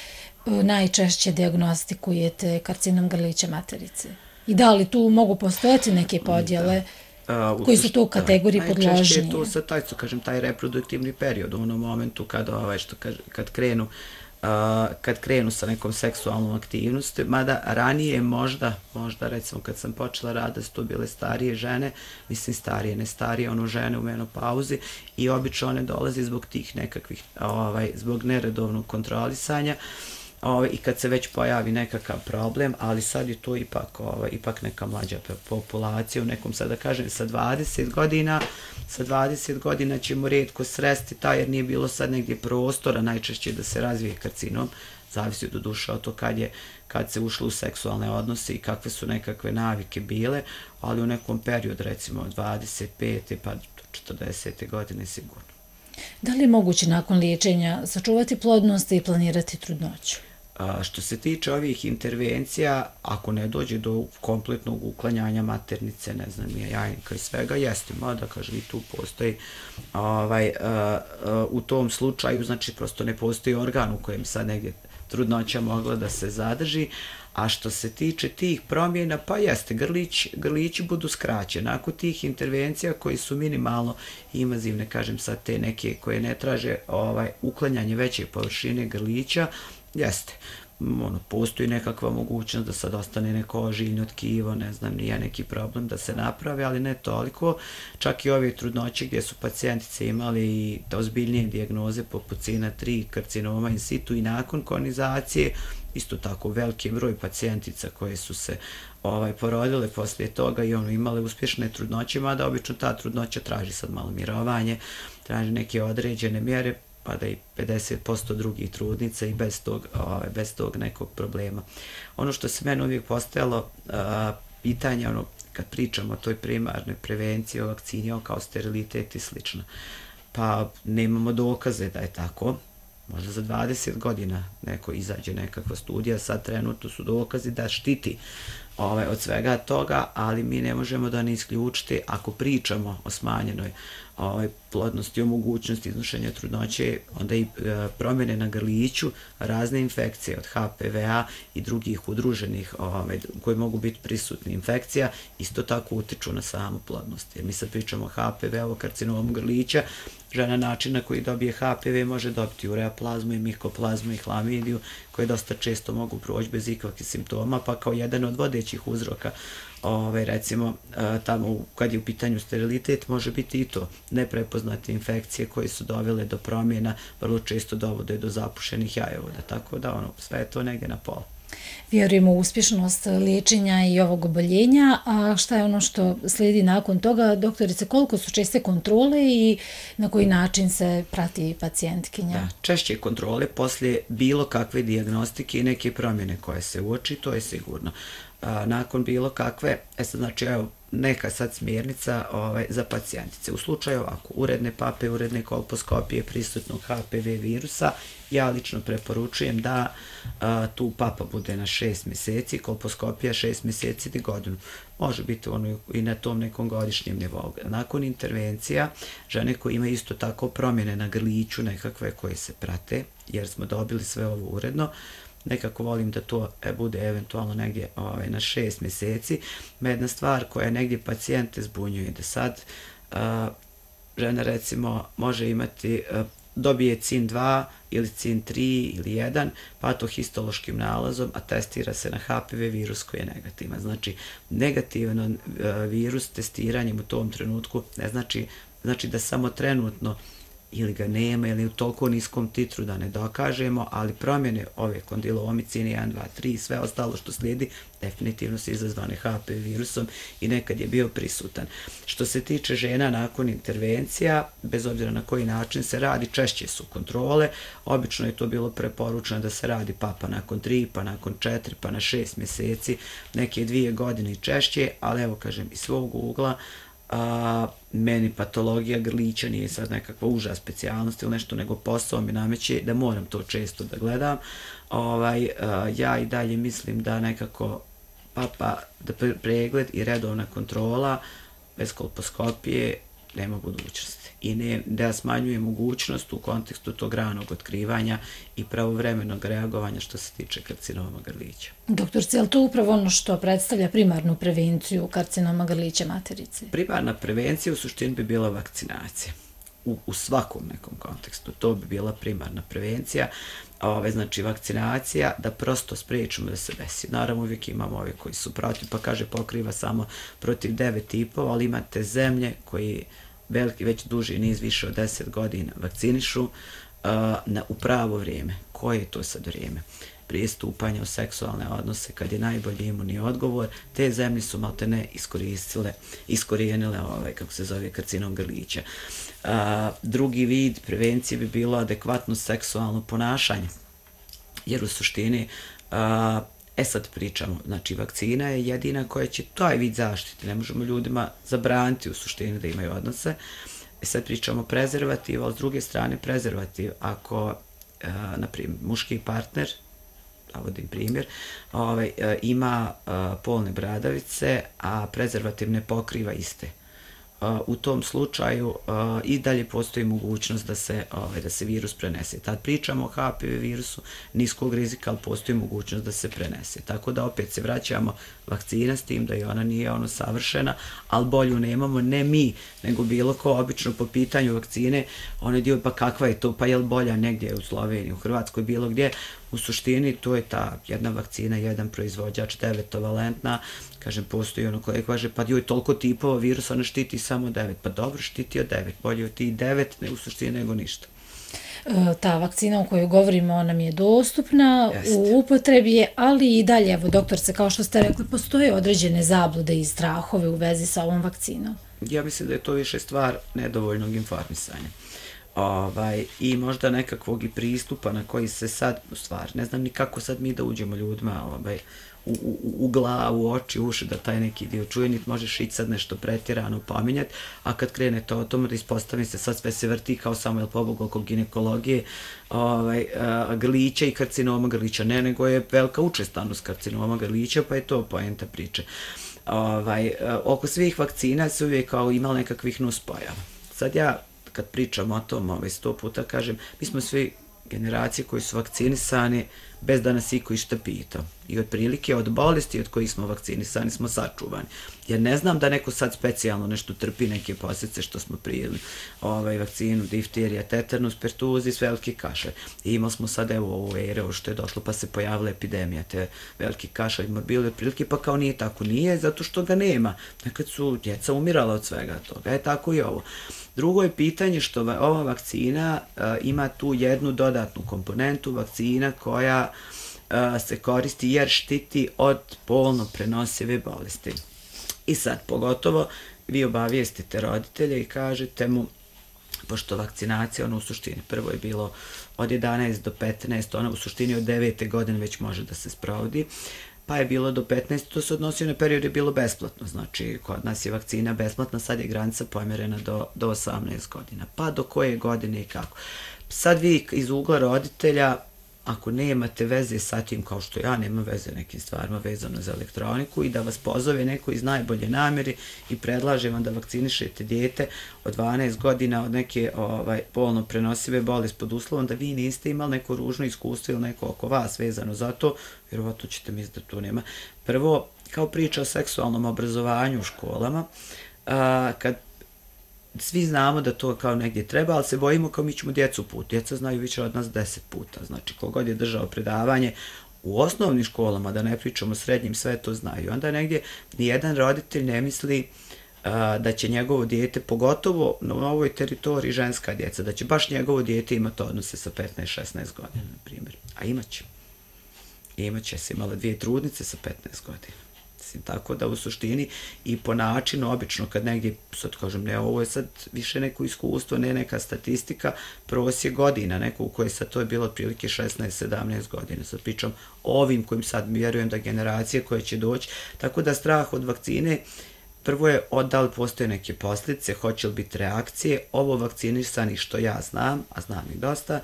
najčešće dijagnostikujete karcinom grlića materice? I da li tu mogu postojati neke podjele? Koji su to u kategoriji podložnije? Najčešće je to sad taj reproduktivni period, u onom momentu kad krenu kad krenu sa nekom seksualnom aktivnosti, mada ranije možda recimo kad sam počela raditi, su to bile starije žene, mislim starije, ne starije, žene u menopauzi i obično one dolaze zbog tih nekakvih, zbog neredovnog kontrolisanja, i kad se već pojavi nekakav problem, ali sad je to ipak neka mlađa populacija, u nekom, sad da kažem, sa 20 godina ćemo rijetko sresti taj, jer nije bilo sad negdje prostora najčešće da se razvije karcinom, zavisi do duše od to kad se ušlo u seksualne odnose i kakve su nekakve navike bile, ali u nekom periodu, recimo od 25. pa 40. godine sigurno. Da li je moguće nakon liječenja sačuvati plodnost i planirati trudnoću? Što se tiče ovih intervencija, ako ne dođe do kompletnog uklanjanja maternice, ne znam, jajnika i svega, jeste, mada, kaže, i tu postoji, u tom slučaju, znači, prosto ne postoji organ u kojem sad negdje trudnoća mogla da se zadrži, a što se tiče tih promjena, pa jeste, grlići budu skraćeni. Nakon tih intervencija koji su minimalno invazivne, kažem sad te neke koje ne traže uklanjanje veće površine grlića, jeste, postoji nekakva mogućnost da sad ostane neko ožiljno tkivo, ne znam, nije neki problem da se napravi, ali ne toliko. Čak i ove trudnoće gdje su pacijentice imali i ozbiljnije dijagnoze poput CINA 3, karcinoma in situ i nakon konizacije, isto tako veliki broj pacijentica koje su se porodile poslije toga i imale uspješne trudnoće, mada obično ta trudnoća traži sad malo mirovanje, traži neke određene mjere, pa da i 50% drugih trudnica i bez tog nekog problema. Ono što se meni uvijek postojalo pitanje, kad pričamo o toj primarnoj prevenciji, o vakcini, kao sterilitet i slično, pa nemamo dokaze da je tako. Možda za 20 godina neko izađe nekakva studija, sad trenutno su dokazi da štiti od svega toga, ali mi ne možemo da ne isključiti, ako pričamo o smanjenoj plodnosti, o mogućnosti iznošenja trudnoće, onda i promjene na grliću, razne infekcije od HPV-a i drugih udruženih koje mogu biti prisutni infekcija, isto tako utiču na samu plodnost. Jer mi sad pričamo o HPV-u, karcinomu grlića, žena način na koji dobije HPV može dobiti ureaplazmu i mikoplazmu i hlamidiju, koje dosta često mogu proći bez ikakvih simptoma, pa kao jedan od vodećih uzroka, recimo, tamo kad je u pitanju sterilitet, može biti i to neprepoznate infekcije koje su dovele do promjena, vrlo često dovode do zapušenih jajovoda, tako da sve je to negdje na pola. Vjerujemo u uspješnost liječenja i ovog oboljenja, a šta je ono što slijedi nakon toga? Doktorice, koliko su česte kontrole i na koji način se prati pacijentkinja? Da, češće kontrole poslije bilo kakve dijagnostike i neke promjene koje se uoči, to je sigurno. Nakon bilo kakve, znači neka sad smjernica za pacijentice. U slučaju ovako, uredne pape, uredne kolposkopije prisutnog HPV virusa, ja lično preporučujem da tu papa bude na 6 mjeseci, kolposkopija 6 mjeseci do godinu. Može biti i na tom nekom godišnjem nivou. Nakon intervencija, žene koje imaju isto tako promjene na grliću nekakve koje se prate, jer smo dobili sve ovo uredno, nekako volim da to bude eventualno negdje na 6 mjeseci. Jedna stvar koja negdje pacijente zbunjuje, da sad žena recimo može imati, dobije CIN 2 ili CIN 3 ili 1 patohistološkim nalazom, a testira se na HPV virus koji je negativan. Znači, negativan virus testiranjem u tom trenutku ne znači da samo trenutno ili ga nema, ili u toliko niskom titru da ne dokažemo, ali promjene ove kondilomi, CIN 1, 2, 3 i sve ostalo što slijedi definitivno su izazvane HPV virusom i nekad je bio prisutan. Što se tiče žena nakon intervencija, bez obzira na koji način se radi, češće su kontrole, obično je to bilo preporučeno da se radi papa nakon 3, pa nakon 4, pa na 6 mjeseci, neke 2 godine i češće, ali evo kažem iz svog ugla, meni patologija grlića nije sad nekakva uža specijalnost ili nešto, nego posao mi nameće da moram to često da gledam. Ja i dalje mislim da nekako da pregled i redovna kontrola bez kolposkopije nema budućnosti i da smanjuje mogućnost u kontekstu tog ranog otkrivanja i pravovremenog reagovanja što se tiče karcinoma grlića. Doktorce, je li to upravo ono što predstavlja primarnu prevenciju karcinoma grlića materice? Primarna prevencija u suštini bi bila vakcinacija. u svakom nekom kontekstu. To bi bila primarna prevencija, znači vakcinacija, da prosto spriječimo da se desi. Naravno, uvijek imamo ove koji su protiv, pa kaže pokriva samo protiv 9 tipova, ali imate zemlje koji već duži niz, više od 10 godina vakcinišu u pravo vrijeme. Koje je to sad vrijeme? Prije stupanja u seksualne odnose, kad je najbolji imunni odgovor, te zemlje su maltene iskorijenile kako se zove, karcinom grlića. Drugi vid prevencije bi bilo adekvatno seksualno ponašanje, jer u suštini, sad pričamo, znači vakcina je jedina koja će taj vid zaštiti, ne možemo ljudima zabraniti u suštini da imaju odnose. Sad pričamo prezervativ, ali s druge strane prezervativ, ako, naprimjer, muški partner, navodim primjer, ima polne bradavice, a prezervativ ne pokriva iste. U tom slučaju i dalje postoji mogućnost da se virus prenese. Tad pričamo o HPV virusu niskog rizika, ali postoji mogućnost da se prenese. Tako da opet se vraćamo vakcina s tim da i ona nije savršena, ali bolju nemamo, ne mi, nego bilo ko obično po pitanju vakcine, onaj dio pa kakva je to, pa je li bolja negdje u Sloveniji, u Hrvatskoj, bilo gdje. U suštini to je ta jedna vakcina, jedan proizvođač, 9-valentna, kažem, postoji ono koje kaže, pa joj toliko tipova virusa, ona štiti samo 9, pa dobro, štiti od 9, bolje od tih 9, ne u suštini nego ništa. Ta vakcina o kojoj govorimo nam je dostupna, u upotrebi je, ali i dalje, evo doktorce, kao što ste rekli, postoje određene zablude i strahove u vezi sa ovom vakcinom. Ja mislim da je to više stvar nedovoljnog informisanja. I možda nekakvog i pristupa na koji se sad, u stvari, ne znam ni kako sad mi da uđemo ljudima u glavu, oči, uši, da taj neki dio čuje, niti možeš ići sad nešto pretjerano pominjati, a kad krenete o tomu da ispostavi se, sad sve se vrti kao samo, jel pobogu, oko ginekologije, grlića i karcinoma grlića, ne, nego je velika učestanost karcinoma grlića, pa je to poenta priče. Oko svih vakcina se uvijek kao imali nekakvih nuspojava. Sad ja, kad pričam o tom 100 puta, kažem, mi smo svi generacije koji su vakcinisani bez da nas iko išta pitao. I otprilike od bolesti od kojih smo vakcinisani smo sačuvani. Jer ne znam da neko sad specijalno nešto trpi, neke posljedice što smo prijeli vakcinu, difterija, tetanus, pertuzis, veliki kašalj. I imali smo sad evo ovu eru što je došlo pa se pojavila epidemija, te veliki kašalj, morbili otprilike, pa kao nije tako. Nije zato što ga nema. Nekad su djeca umirala od svega toga. Tako i ovo. Drugo je pitanje što ova vakcina ima tu jednu dodatnu komponentu, vakcina koja se koristi jer štiti od polno prenosive bolesti. I sad, pogotovo, vi obavijestite roditelje i kažete mu, pošto vakcinacija, u suštini, prvo je bilo od 11 do 15, ona u suštini od 9. godine već može da se sprovodi, pa je bilo do 15, to se odnosio na period je bilo besplatno, znači kod nas je vakcina besplatna, sad je granica pomjerena do 18 godina, pa do koje godine i kako. Sad vi iz ugla roditelja, ako nemate veze sa tim, kao što ja nemam veze nekim stvarima vezano za elektroniku, i da vas pozove neko iz najbolje namjeri i predlaže vam da vakcinišete dijete od 12 godina od neke polno prenosive bolesti pod uslovom da vi niste imali neko ružno iskustvo ili neko oko vas vezano za to, vjerovatno ćete misliti da to nema. Prvo, kao priča o seksualnom obrazovanju u školama, kad svi znamo da to kao negdje treba, ali se bojimo kao mi ćemo djecu put. Djeca znaju više od nas 10 puta. Znači, kogod je držao predavanje u osnovnim školama, da ne pričamo o srednjim, sve to znaju. Onda negdje nijedan roditelj ne misli da će njegovo dijete, pogotovo na ovoj teritoriji ženska djeca, da će baš njegovo dijete imati odnose sa 15-16 godina, na primjer. A imaće. Imaće se imala 2 trudnice sa 15 godina. Tako da u suštini i po načinu, obično kad negdje, sad kažem, ne, ovo je sad više neko iskustvo, ne neka statistika, prosjek godina, neko u kojoj sad to je bilo otprilike 16-17 godina. Sad pričam o ovim kojim sad vjerujem da generacije koje će doći, tako da strah od vakcine, prvo je da li postoje neke posljedice, hoće li biti reakcije, ovo vakcinisani što ja znam, a znam ih dosta,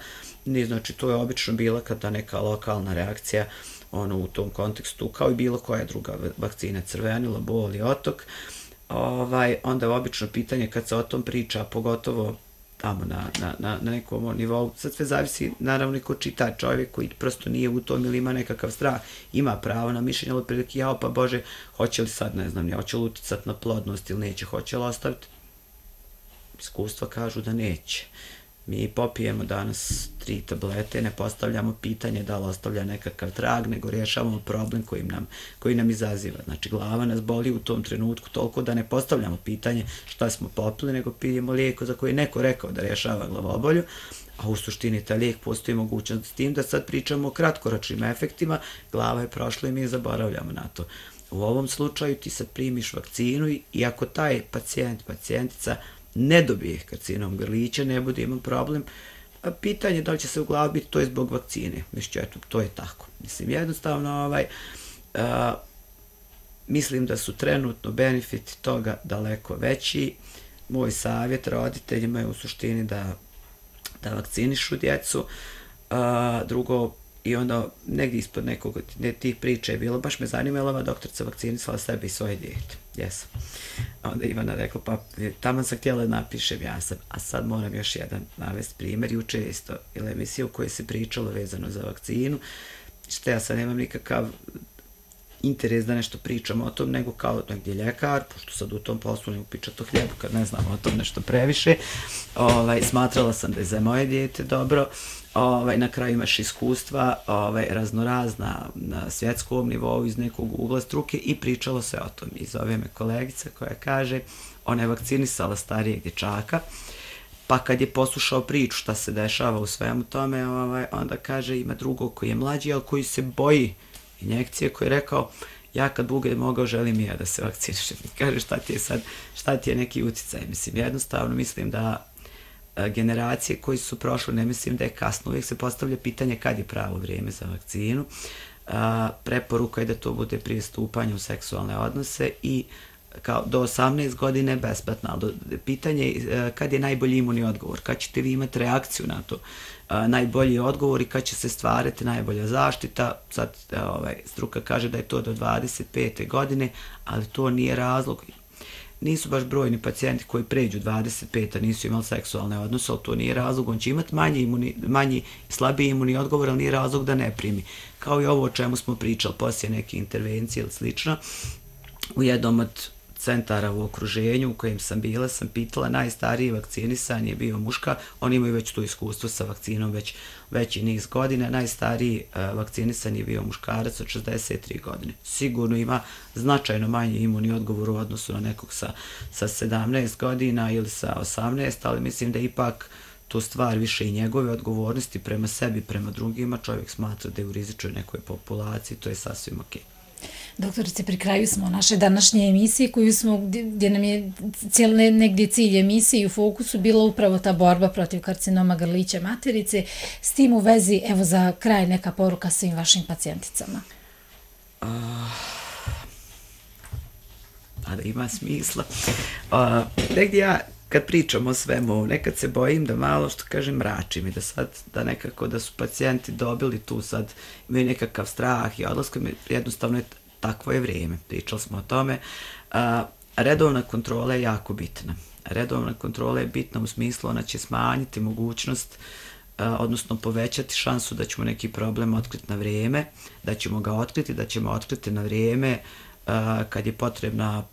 znači to je obično bila kada neka lokalna reakcija, u tom kontekstu, kao i bilo koja druga vakcina, crvenila, bol i otok, onda je obično pitanje kad se o tom priča, pogotovo tamo na nekom nivou, sad sve zavisi, naravno i ko čita, čovjek koji prosto nije u tom ili ima nekakav strah, ima pravo na mišljenje, ali prilike, jao pa Bože, hoće li sad, ne znam, hoće li uticati na plodnost ili neće, hoće li ostaviti? iskustva kažu da neće. Mi popijemo danas 3 tablete, ne postavljamo pitanje da li ostavlja nekakav trag, nego rješavamo problem koji nam izaziva. Znači, glava nas boli u tom trenutku toliko da ne postavljamo pitanje šta smo popili, nego pijemo lijek za koji je neko rekao da rješava glavobolju, a u suštini taj lijek postoji mogućnost s tim da sad pričamo o kratkoročnim efektima, glava je prošla i mi zaboravljamo na to. U ovom slučaju ti sad primiš vakcinu i ako taj pacijentica ne dobije karcinom grlića, ne bude imao problem, pitanje da li će se u glavi biti, to je zbog vakcine. Mislim, eto, to je tako. Mislim, jednostavno, mislim da su trenutno benefiti toga daleko veći. Moj savjet roditeljima je u suštini da vakcinišu djecu. Drugo, i onda negdje ispod nekog tih priča je bilo, baš me zanimala ova doktorica vakcinisala sebe i svoje dijete. Jesam. Onda Ivana rekla, pa tamo sam htjela da napišem, ja sam, a sad moram još jedan navesti primjer. Juče je isto ili emisija u kojoj se pričalo vezano za vakcinu, što ja sad nemam nikakav interes da nešto pričam o tom, nego kao negdje ljekar, pošto sad u tom poslu ne upičat o hljebu kad ne znam o tom nešto previše, smatrala sam da je za moje dijete dobro. Na kraju imaš iskustva raznorazna na svjetskom nivou iz nekog ugla struke i pričalo se o tom. I zove me kolegica koja kaže, ona je vakcinisala starijeg dječaka, pa kad je poslušao priču šta se dešava u svemu tome, onda kaže ima drugog koji je mlađi, ali koji se boji injekcije, koji je rekao, ja kad budem mogao želim i ja da se vakcinišem. Kaže, šta ti je neki utjecaj? Mislim, jednostavno mislim da generacije koji su prošle, ne mislim da je kasno, uvijek se postavlja pitanje kad je pravo vrijeme za vakcinu. Preporuka je da to bude prije stupanja u seksualne odnose i kao do 18 godine besplatno, ali pitanje je kad je najbolji imunni odgovor, kad ćete vi imati reakciju na to, najbolji odgovor i kad će se stvarati najbolja zaštita. Sad struka kaže da je to do 25. godine, ali to nije razlog. Nisu baš brojni pacijenti koji pređu 25, a nisu imali seksualne odnose, ali to nije razlog. On će imati manji, slabiji imunni odgovor, ali nije razlog da ne primi. Kao i ovo o čemu smo pričali, poslije neke intervencije ili slično. U jednom od centara u okruženju u kojem sam bila, sam pitala, najstariji vakcinisan je bio muška, oni imaju već to iskustvo sa vakcinom veći niz godina, najstariji vakcinisan je bio muškarac od 63 godine. Sigurno ima značajno manji imunni odgovor u odnosu na nekog sa 17 godina ili sa 18, ali mislim da ipak to stvar više i njegove odgovornosti prema sebi, prema drugima. Čovjek smatra da je u rizičnoj nekoj populaciji, to je sasvim okej. Doktorice, pri kraju smo naše današnje emisije gdje nam je negdje cilj emisije i u fokusu bila upravo ta borba protiv karcinoma grlića materice. S tim u vezi, evo za kraj neka poruka svim vašim pacijenticama. Da ima smisla. Negdje ja kad pričam o svemu, nekad se bojim da malo, što kažem, mračim i da nekako da su pacijenti dobili tu sad, imaju nekakav strah i odlaska, jednostavno je takvo je vrijeme, pričali smo o tome. Redovna kontrola je jako bitna. Redovna kontrola je bitna u smislu, ona će smanjiti mogućnost, odnosno povećati šansu da ćemo neki problem otkriti na vrijeme, da ćemo ga otkriti, da ćemo otkriti na vrijeme kad je potrebna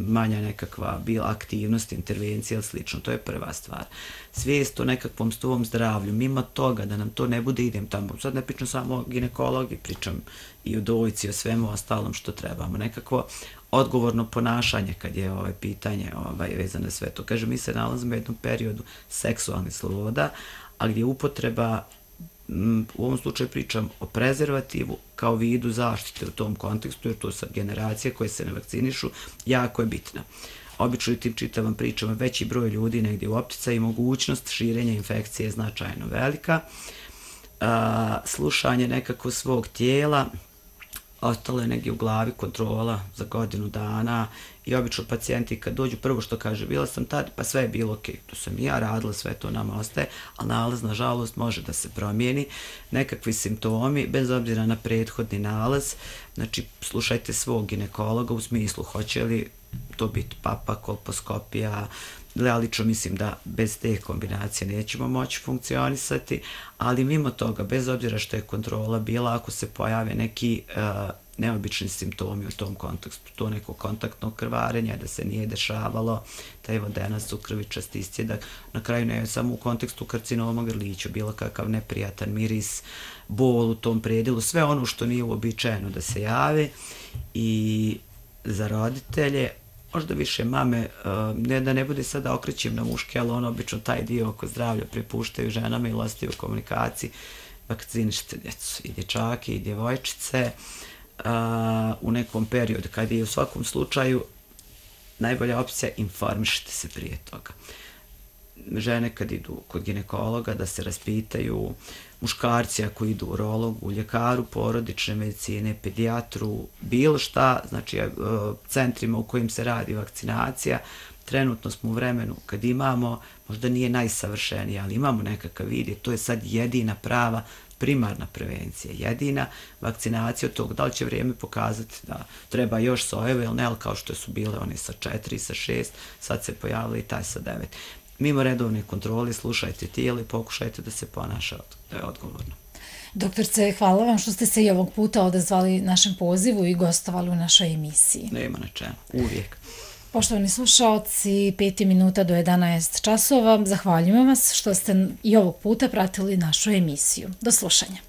manja nekakva bila aktivnost, intervencija ili slično. To je prva stvar. Svijest o nekakvom svom zdravlju, mimo toga da nam to ne bude idem tamo. Sad ne pričam samo o ginekologi, pričam i o dojci, o svemu ostalom što trebamo. Nekakvo odgovorno ponašanje kad je pitanje vezano na sve to. Kažem, mi se nalazimo u jednom periodu seksualnih sloboda, a gdje upotreba, u ovom slučaju pričam o prezervativu kao vidu zaštite u tom kontekstu, jer to sad generacije koje se ne vakcinišu, jako je bitna. Obično tim čitavom pričama veći broj ljudi negdje u opticaju i mogućnost širenja infekcije je značajno velika. Slušanje nekako svog tijela, ostalo je negdje u glavi kontrola za godinu dana i obično pacijenti kad dođu prvo što kaže bila sam tad, pa sve je bilo ok, to sam i ja radila, sve to nama ostaje, ali nalaz nažalost može da se promijeni, nekakvi simptomi, bez obzira na prethodni nalaz, znači slušajte svog ginekologa u smislu hoće li to biti papa, kolposkopija, lično mislim da bez te kombinacije nećemo moći funkcionisati, ali mimo toga, bez obzira što je kontrola bila, ako se pojave neki neobični simptomi u tom kontekstu, to neko kontaktno krvarenje, da se nije dešavalo, taj vodenac u krvi čast iscjedak, na kraju ne samo u kontekstu karcinoma grlića, bilo kakav neprijatan miris, bol u tom predjelu, sve ono što nije uobičajeno da se javi. I za roditelje, možda više mame, ne da ne bude sada okrećem na muške, ali ono obično taj dio oko zdravlja prepuštaju ženama i ostaju u komunikaciji, vakcinišite djecu i dječake i djevojčice u nekom periodu kad je u svakom slučaju najbolja opcija informišite se prije toga. Žene kad idu kod ginekologa da se raspitaju, muškarci ako idu u urologu, ljekaru porodične medicine, pedijatru, bilo šta, znači centrima u kojim se radi vakcinacija. Trenutno smo u vremenu kad imamo, možda nije najsavršenije, ali imamo nekakav vid, to je sad jedina prava primarna prevencija, jedina vakcinacija od tog, da li će vrijeme pokazati da treba još sojeve ili ne, ali kao što su bile one sa 4, sa 6, sad se pojavili i taj sa 9. Mimo redovne kontrole, slušajte tijelo i pokušajte da se ponaša da je odgovorno. Doktorce, hvala vam što ste se i ovog puta odazvali našem pozivu i gostovali u našoj emisiji. Nema na čemu, uvijek. Poštovani slušaoci, 5 minuta do 11 časova. Zahvaljujem vas što ste i ovog puta pratili našu emisiju. Do slušanja.